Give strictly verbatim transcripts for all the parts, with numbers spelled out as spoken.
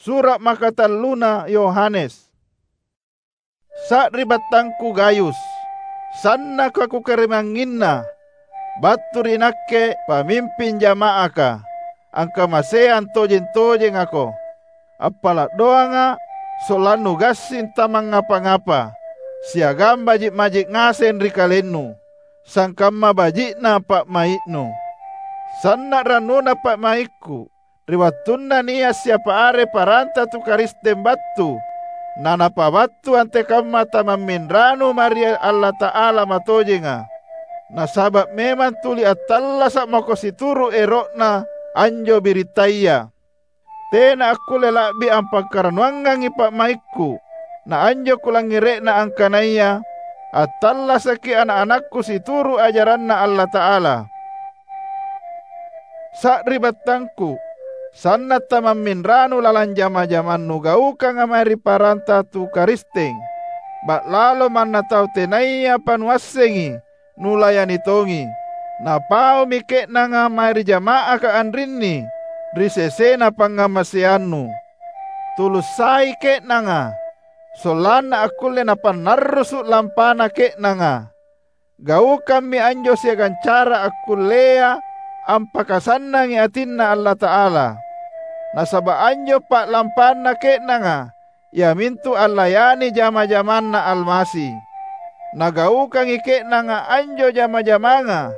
Sura’ makatalluna Yohanes. Sari'battangku Gayus, sannaka kukarimangnginna, battu ri nakke pamimping jama'aka, angkamaseang tojeng-tojengako. Appala’ doanga’ sollannu gassing tamangngapa-ngapa, siagang baji’-baji’ ngaseng ri kalennu, sangkamma baji'na pa'mai'nu. Sanna’ rannuna pa'maikku, ri wattunna nia’ siapa are paranta tu Karisteng battu, nanapabattu antekamma tamamminranu mae ri Allata'ala matojenga. Nasaba’ memang tuli attallasa'mako situru’ ero'na anjo biritaya. Tena akkulle la'bi ampakarannuangangi pa'maikku, na anjo kulangngere'na angkanaya attallasaki ana’-anakku situru’ ajaranNa Allata'ala. Sari'battangku, sanna’ tamamminranu lalang jama-jamang nugaukanga mae ri paranta tu Karisteng, ba'lalo manna tau tenayapa nuassengi, nulayani tongi. Napaumi ke'nanga mae ri jama'aka anrinni ri sesena pangngamaseannu. Tulussai ke'nanga, sollanna akkulle napannarrusu’ lampana ke'nanga. Gaukammi anjo siagang cara akkullea ampakasannangi atinNa Allata'ala. Nasaba’ anjo pa'lampanna ke'nanga iamintu allayani jama-jamanNa Almasi. Nagaukangi ke'nanga anjo jama-jamanga,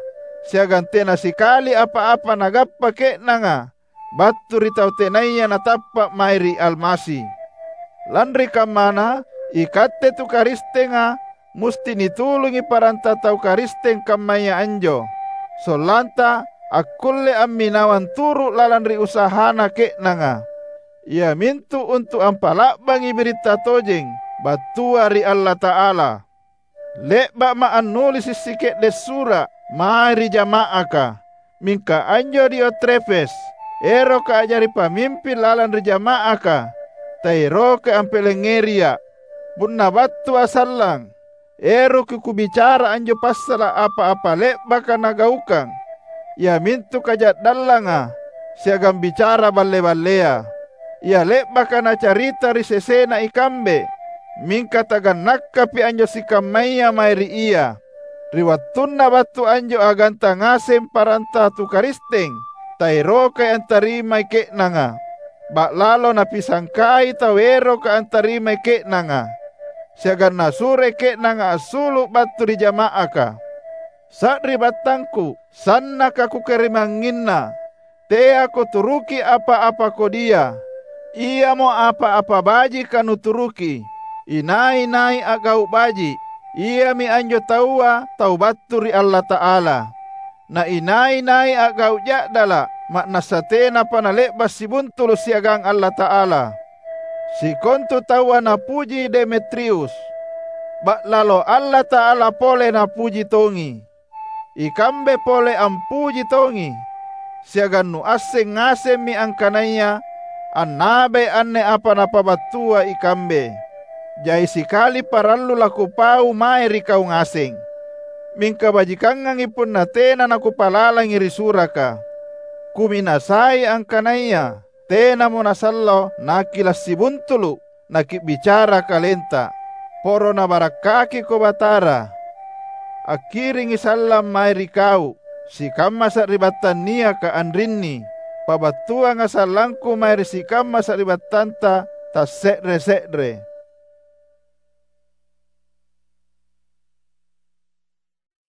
siagang tena sikali apa-apa nagappa ke'nanga battu ri tau tenaya natappa’ mae ri Almasi. Lanri kammana, ikatte tu Karistenga musti nitulungi paranta tau Karisteng kammaya anjo, sollanta akkulle amminawang turu’ lalang ri usahana ke'nanga, iamintu untu’ ampa'la'bangi biritta tojeng battua ri Allata'ala. Le'ba'ma’ annulisi’ sike'de’ sura’ mae ri jama'aka. Mingka anjo Diotrefes, eroka a'jari pamimping lalang ri jama'aka, taerokai ampilangngeriA’. Punna battua’ sallang, eroki kubicara anjo passala’ apa-apa le'baka nagaukang, iamintu kaja'dallanga siagang bicara balle-ballea. Ia le'baka nacarita ri sesena ikambe, mingka tagannakkapi anjo sikammaya mae ri ia. Ri wattunna battu anjo aganta ngaseng paranta tu Karisteng, taerokai antarimai ke'nanga. Ba'lalo napisangkai tau eroka antarimai ke'nanga, siagang nasuroi ke'nanga assulu’ battu ri jama'aka. Sari'battangku, sannaka kukarimangnginna, teako turuki apa-apa kodia. Iamo apa-apa bajika nuturuki. Inai-nai a'gau’ baji’, iami anjo taua tau battu ri Allata'ala. Na inai-nai a'gau’ ja'dala’, ma'nassa tenapa nale'ba’ sibuntulu’ siagang Allata'ala. Sikontu taua napuji Demetrius, ba'lalo Allata'ala pole napuji tongi. Ikambe pole ampuji tongi, siagang nuasseng ngasemmi angkanaya annabai anne apa napabattua ikambe. Jai sikali parallu lakupau mae ri kau ngaseng. Mingka bajikangangi punna tena nakupalalangi ri suraka. Kuminasai angkanaya tenamo nasallo nakila’ sibuntulu’ naki'bicara kalenta. Poro nabarakkakiko Batara. Akkiringi sallang mae ri kau, sikamma sari'battang niaka anrinni. Pabattuanga sallangku mae ri sikamma sari'battanta tasse're-se're.